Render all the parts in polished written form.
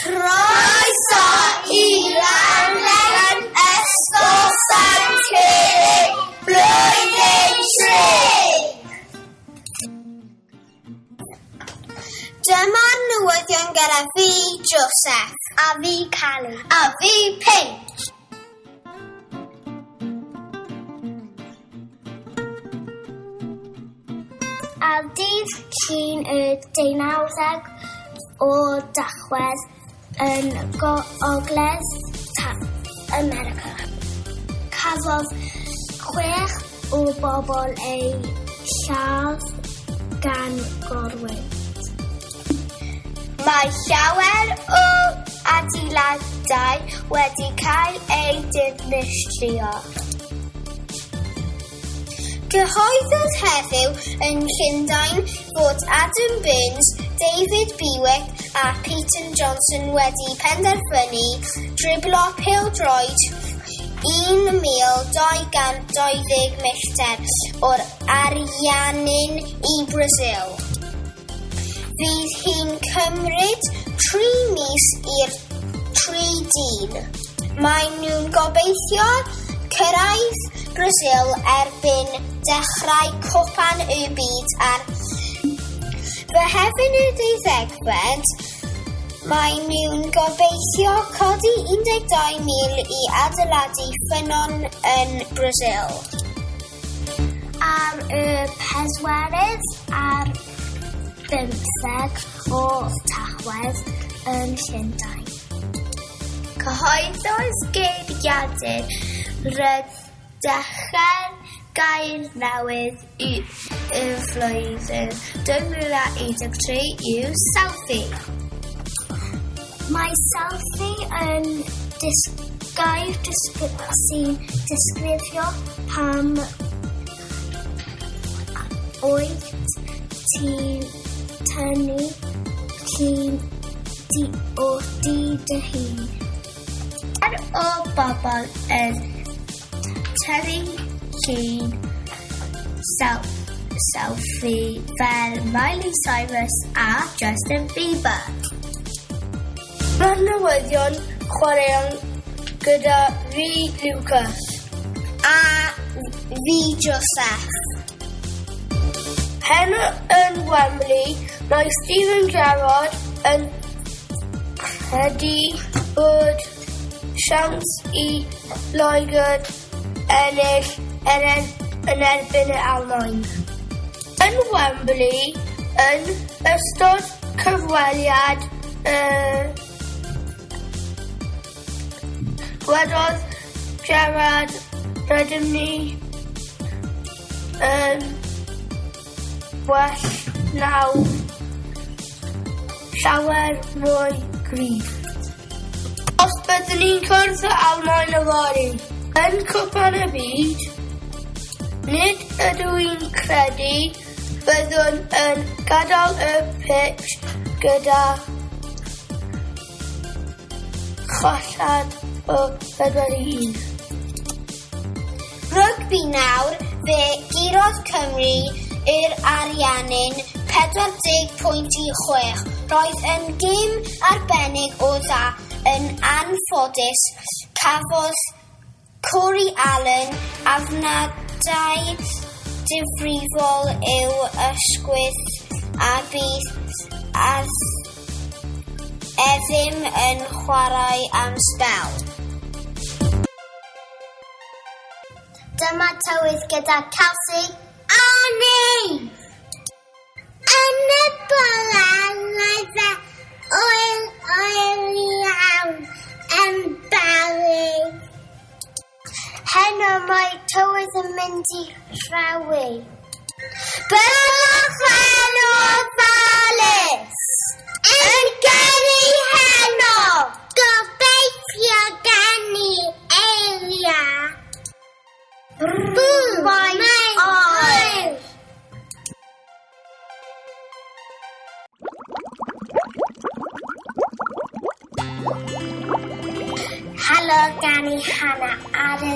Croeso i raglen Ysgol Sant Curig Blwyddyn 3! Dyma'r newyddion gyda fi, Joseph. A fi, Cali. A fi, Paige. Ar dydd Llun y 19 o Dachwedd yn Gogledd America, cafodd 6 o bobl eu lladd gan gorwynt. Mae llawer o adeiladau wedi cael eu dinistrio. Cyhoeddodd heddiw yn Llundain fod Adam Burns, David Bewick a Peter Johnson wedi penderfynu driblo pêl-droed 1,220 milltir o'r Ariannin i Brasil. Fydd hi'n cymryd 3 mis i'r 3 dyn. Maen nhw'n gobeithio cyrraedd Brasil erbyn dechrau Cwpan y Byd ar Fehefin y 12fed. Maen nhw'n gobeithio codi 12,000 i adeiladu ffynnon yn Brasil. Ar y 24 o Tachwedd yn Llundain, cyhoeddodd geiriadur Rhydychen gair newydd y flwyddyn 2013 yw selfie. Mae selfie yn gair sy'n disgrifio pam wyt ti'n tynnu llun o di dy hun. Ar o bobl yn tynnu llun selfie fel Miley Cyrus a Justin Bieber. Mae'r newyddion chwaraeon gyda fi, Lucas. A fi, Joseph. Heno yn Wembley, mae Steven Gerrard yn credu bod siawns i Loegr ennill yn erbyn yr Almaen. Yn Wembley, yn ystod cyfweliad, gwedodd Gerrard, rydym ni yn well nawr, llawer mwy gryf. Os byddwn ni'n cwrdd â Almaen yfory yn Cwpan y Byd, nid ydw i'n credu byddwn yn gadael y pitch gyda cholled o 4-1. Rygbi nawr, fe gurodd Cymru yr Ariannin 40.6. Roedd yn gêm arbennig o dda. Yn anffodus, cafodd Corey Allen afnadau difrifol i'w ysgwydd a bydd e ddim yn chwarae am sbel. Dyma tywydd gyda Kelsey a ni! Yn y bore, mae fe oer oer iawn yn Bari. Heno mae tywydd yn mynd i rhewi. Byddwch yn ofalus! Yn gyrru heno! Gobeithio geni eiria. Mae'n oer! Helo gan i Hannah ar y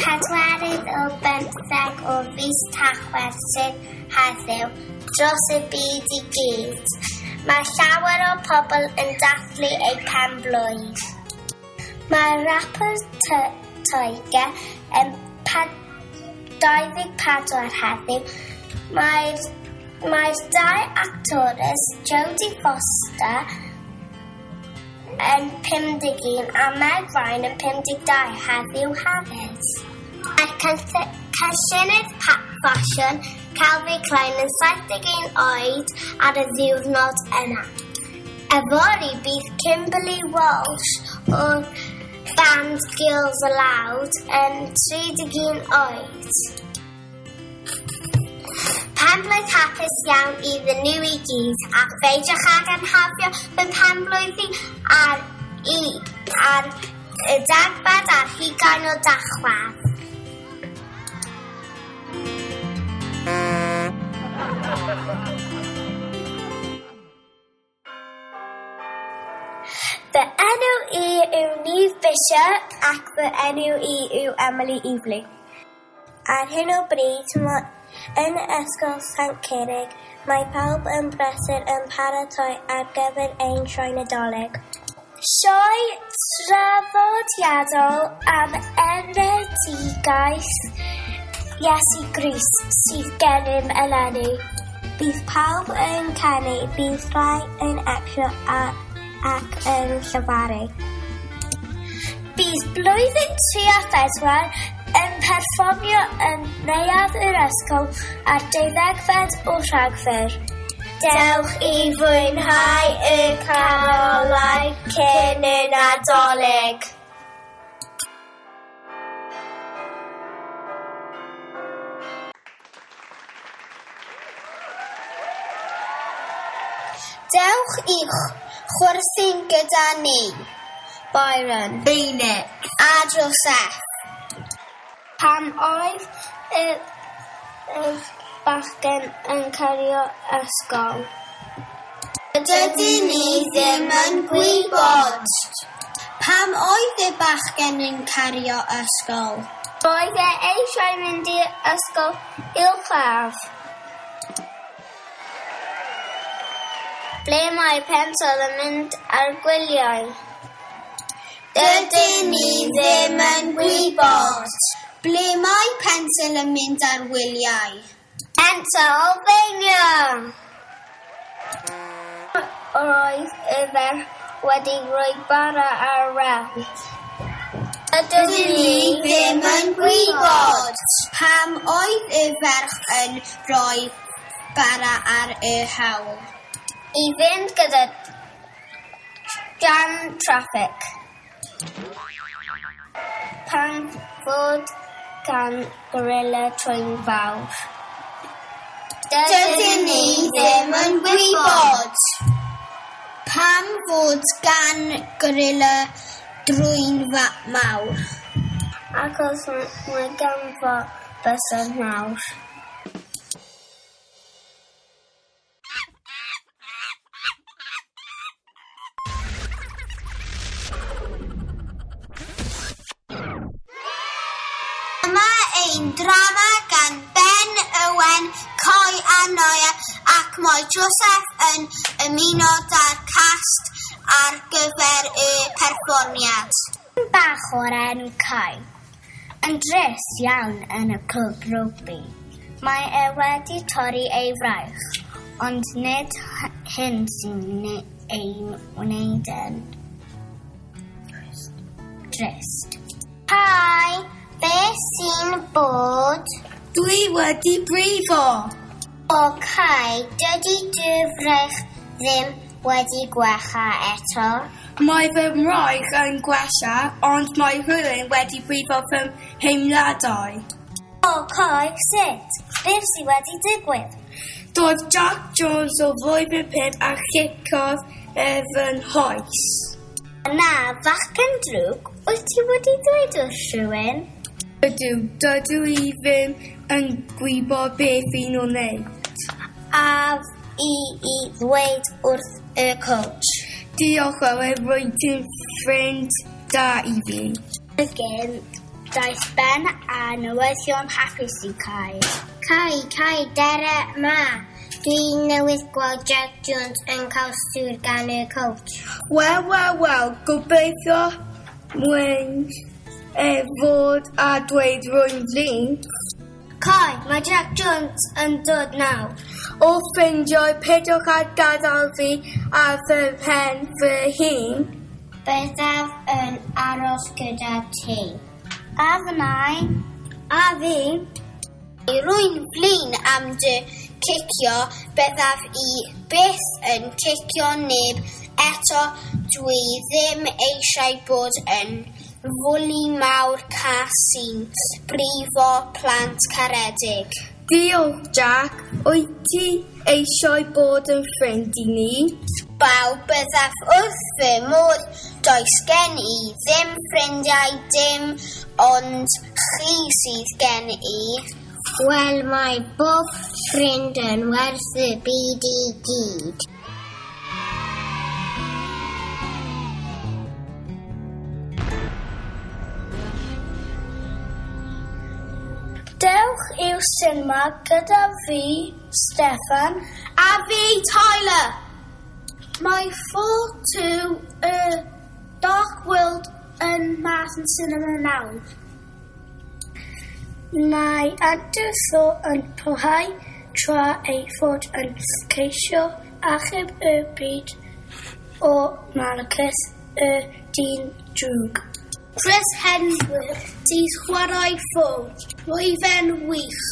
24 o fis Tachwedd sydd heddiw dros y byd i gyd. Mae llawer o pobl yn dathlu eu pen-blwydd. Mae rapper Tyga yn 24 heddiw. Mae'r dau actores Jodie Foster yn 51 a Meg Ryan yn 52 heddiw hefyd. Mae'r cynllunydd ffasiwn Calvin Klein yn 71 oed ar y ddiwrnod yna. Yfory bydd Kimberly Walsh o'r band Girls Aloud yn 31 oed. Penblwydd hapus iawn iddyn nhw i gyd, a pheidiwch ag anghofio fy mhenblwydd i ar y 22 o Dachwedd. Fy enw i yw Neve Bishop ac fy enw i yw Emily Evelyn. Ar hyn o bryd, yn Ysgol Sant Curig, mae pawb yn brysur yn paratoi ar gyfer ein sioe Nadolig. Sioe traddodiadol am enedigaeth Iesu Grist sydd gennym eleni. Bydd pawb yn canu, bydd rhai yn actio ac yn llefaru. Bydd blwyddyn 3 a 4 yn perfformio yn neuadd yr ysgol ar 12 o Rhagfyr. Dewch i fwynhau y carolau cyn y Nadolig. Dewch i chwerthin gyda ni, Byron, Phoenix a Joseph. Pan oedd y bachgen yn cario ysgol? Dydyn ni ddim yn gwybod. Pam oedd y bachgen yn cario ysgol? Roedd e eisiau mynd i'r ysgol uwchradd. Ble mae pensel yn mynd ar gwyliau? Dydyn ni ddim yn gwybod. Ble mae pensel yn mynd ar wyliau? Pennsylvania! Roedd y ferch wedi rhoi bara ar rawl. Dydyn ni ddim yn gwybod. Pam oedd y ferch yn rhoi bara ar y hawl? I fynd gyda jam traffic. Pan fod gan gorilla trwyn fawr? Dydyn ni ddim yn gwybod. Pam fod gan gorilla drwyn mawr? Achos mae ganddo bysedd mawr. Dyma ein drama gan Ben Owen, Coy a Noia, ac mae Joseph yn ymuno â'r cast ar gyfer y perfformiad. Bach o'r enw Kai, yn drist iawn yn y clwb rygbi. Mae e wedi torri ei fraich, ond nid hyn sy'n ei wneud yn drist. Hi, beth sy'n bod? Dwi wedi brifo. O Kai, dydy dy fraich ddim wedi gwella eto. Mae fy mraich yn gwella, ond mae rhywun wedi brifo fy nheimladau. O Kai, sut? Beth sydd wedi digwydd? Doedd Jack Jones o flwyddyn 5 a chicodd ef fy nghoes. Na, fachgen drwg, wyt ti wedi dweud wrth rhywun? Ydw, dydw i ddim yn gwybod beth fi'n o'n wneud. A i ddweud wrth y coach. Diolch Owen, rwyt ti'n ffrind da i fi. Y gêm, daeth Ben a newyddion hapus i Kai. Kai, Kai, dere ma. Dwi newydd gweld Jack Jones yn cael stŵr gan y coach. Wel, wel, wel, gobeithio mwyn e fod a dweud rwy'n flin. Cai, mae Jack Jones yn dod nawr. O ffrindiau, peidiwch â gadael fi ar fy mhen fy hun. Byddaf yn aros gyda ti. A fy nain. A fi. Rwy'n flin am dy cicio, byddaf i byth yn cicio neb eto. Dwi ddim eisiau bod yn fwli mawr cas sy'n brifo plant caredig. Diolch, Jack. Wyt ti eisiau bod yn ffrind i ni? Baw, byddaf wrth fy modd. Does gen i ddim ffrindiau, dim ond chi sydd gen i. Wel, mae bob ffrind yn werth y byd i gyd. Dewch i'r sinema gyda fi, Steffan, a fi, Tyler. Mae 4-2 y Dark World yn mas yn sinema nawr. Mae Anderson yn parhau tra ei fod yn ceisio achub y byd o Malachus y dyn drwg. Chris Hemsworth sy'n chwarae Thor. Roedd e'n wych.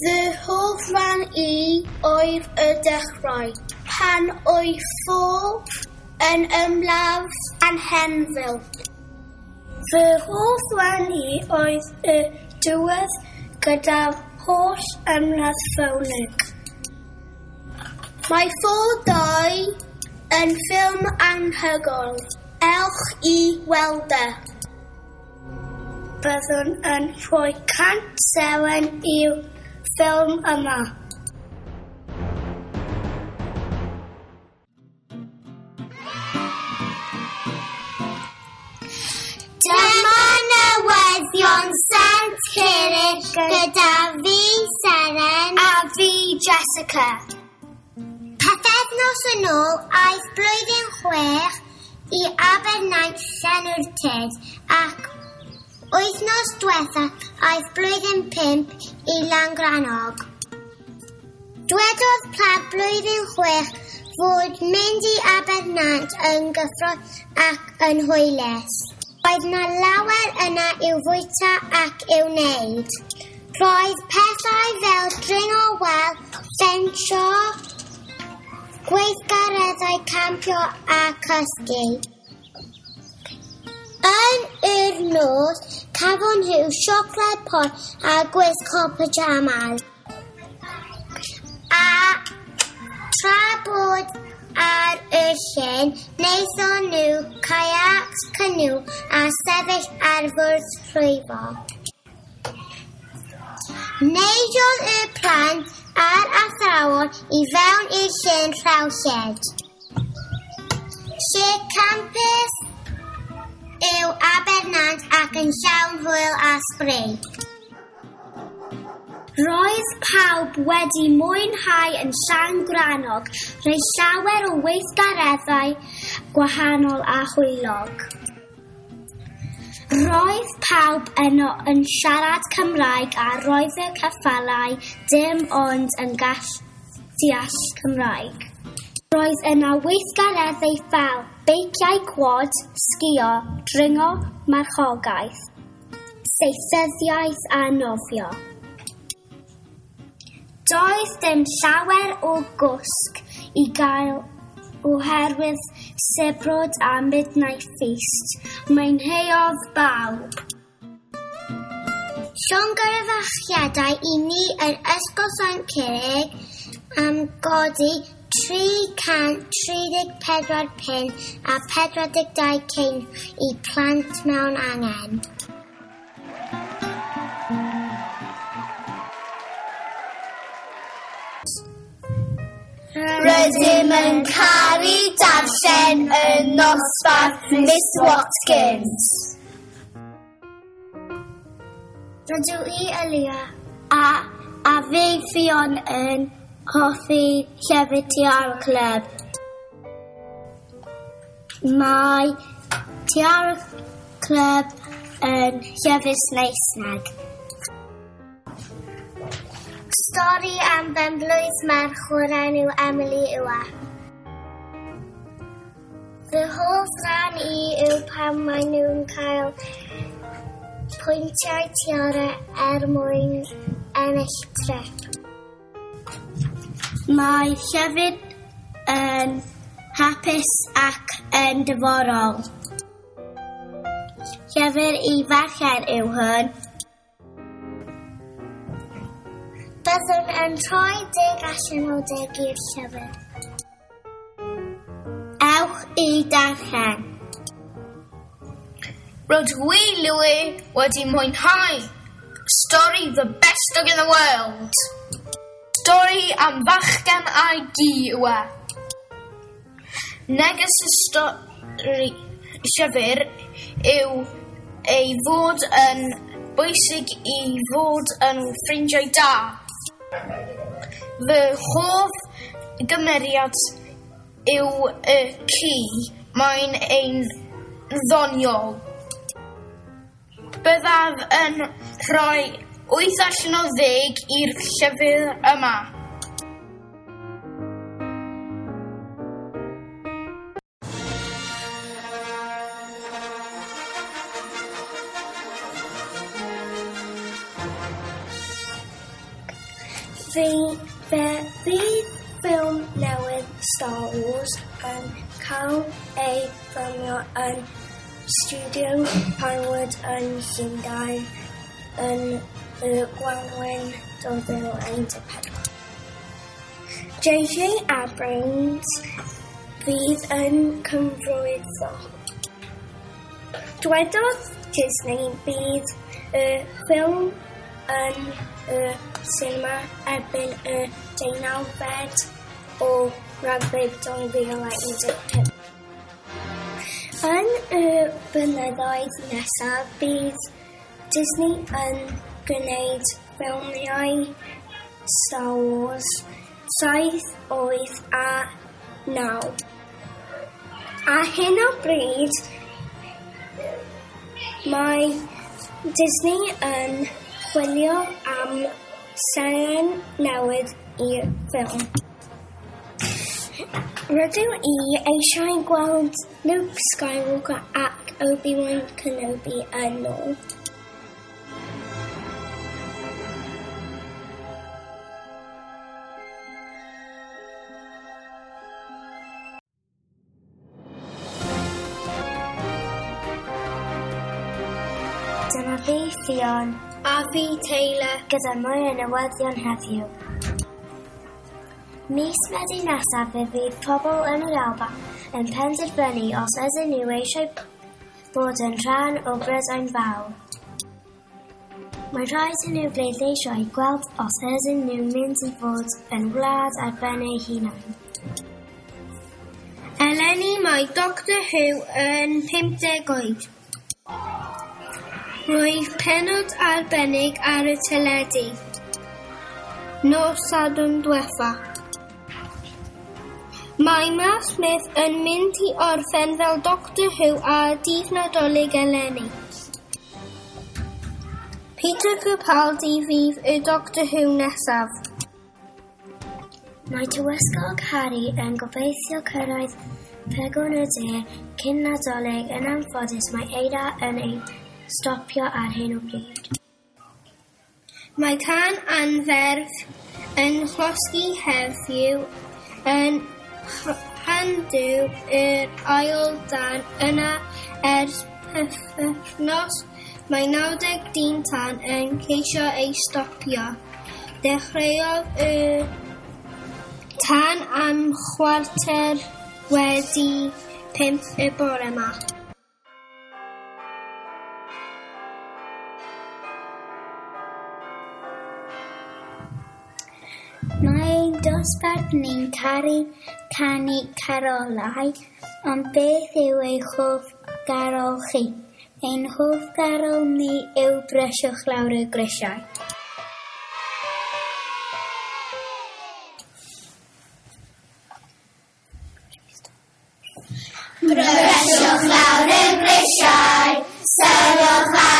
Fy hoff ran i oedd y dechrau, pan oedd Thor yn ymladd Anhenfil. Fy hoff ran i oedd y diwedd gyda'r holl ymladd ffowlig. Mae Thor 2 yn ffilm anhygoel. Ewch i weld e. Byddwn yn rhoi 100 seren i'r ffilm yma. Dyma newyddion Sant Curig gyda fi, Seren, a fi, Jessica. Pythefnos yn ôl, aeth blwyddyn 6 i Abernaint Llanwrtyd ac wythnos diwetha aeth blwyddyn 5 i Langrannog. Dwedodd plant blwyddyn 6 fod mynd i Abernant yn gyffrous ac yn hwylus. Roedd 'na lawer yna i'w fwyta ac i'w wneud. Roedd pethau fel dringo wal, ffensio, gweithgareddau campio a cysgu. Yn yr nos, cafon nhw siocled poeth a gwisgo pyjamas. A tra bod ar y llyn, wnaethon nhw kayacs, canŵ a sefyll ar fwrdd rhwyfo. Neidiodd y plant a'r athrawon i fewn i'r llyn rhewllyd. Lle campus yw Abernant ac yn llawn hwyl a sbri. Roedd pawb wedi mwynhau yn Llangrannog rhoi llawer o weithgareddau gwahanol a hwylog. Roedd pawb yno yn siarad Cymraeg a roedd y ceffylau dim ond yn gallu deall Cymraeg. Roedd yna weithgareddau fel beiciau quad, sgïo, dringo, marchogaeth, saethyddiaeth a nofio. Doedd dim llawer o gwsg i gael oherwydd sibrwd a Midnight Feast. Mwynheuodd bawb. Llongyfarchiadau i ni yn Ysgol Sant Curig am godi 334 punt a 42 ceiniog i plant mewn angen. Rydym yn caru darllen y nosbarth Miss Watkins. Rydw i, Elia, a A fi Ffion yn hoffi llyfr Tiara Club. Mae Tiara Club yn llyfr Saesneg. Stori am benblwydd merch o'r enw Emily yw e. Fy hoff ran i yw pan maen nhw'n cael pwyntiau tiara er mwyn ennill trip. Mae llyfr yn hapus ac yn diddorol. Llyfr i ferched yw hwn. Byddwn yn rhoi 10 allan o 10 i'r llyfr. Ewch i darllen. Rydw i, Louis, wedi mwynhau stori The Best Dog in the World. Stori am fachgen a'i gi yw e. Neges y stori llyfr yw ei fod yn bwysig i fod yn ffrindiau da. Fy hoff gymeriad yw y ci. Mae'n ein ddoniol. Byddaf yn rhoi 8 allan o 10 i'r llyfr yma. Fe fydd ffilm newydd Star Wars yn cael ei ffilmio yn Studio Pinewood yn Llundain yn y Gwanwyn 2014. J.J. Abrams fydd yn cyfarwyddo. Dwedodd Disney bydd y ffilm yn y sinema erbyn y 19 o Rhagfyr 2015. Yn y blynyddoedd nesaf, bydd Disney yn gwneud ffilmiau Star Wars 7, 8 a 9. Ar hyn o bryd, mae Disney yn chwilio am seren newydd i'r ffilm. Rydw i eisiau gweld Luke Skywalker ac Obi-Wan Kenobi yn ôl. Dyma fi, Ffion. A fi, Taylor. Gyda mwy o newyddion heddiw. Mis Medi nesaf fe fydd pobl yn yr Alban yn penderfynu os ydyn nhw eisiau bod yn rhan o Brydain Fawr. Mae'n rhaid i nhw bleidleisio i gweld os ydyn nhw'n mynd i fod yn wlad ar ben eu hunain. Eleni mae Doctor Who yn 50 oed. Roedd pennod arbennig ar y teledu. Nos Sadwrn diwetha. Mae Matt Smith yn mynd i orffen fel Doctor Who ar dydd Nadolig eleni. Peter Capaldi fydd y Doctor Who nesaf. Mae Tywysog Harry yn gobeithio cyrraedd pegwn y de cyn Nadolig. Yn anffodus, mae eira yn ei stopio ar hyn o bryd. Mae tân anferth yn llosgi heddiw yn Llandŵ yr ail dân yna ers pythefnos. Mae 90 dyn tân yn ceisio ei stopio. Dechreuodd y tân am 5:15 y bore yma. Mae ein dosbarth ni'n caru canu carolau, ond beth yw eich hoff garol chi? Ein hoff garol ni yw Brysiwch Lawr y Grisiau. Brysiwch lawr y grisiau, syrwch.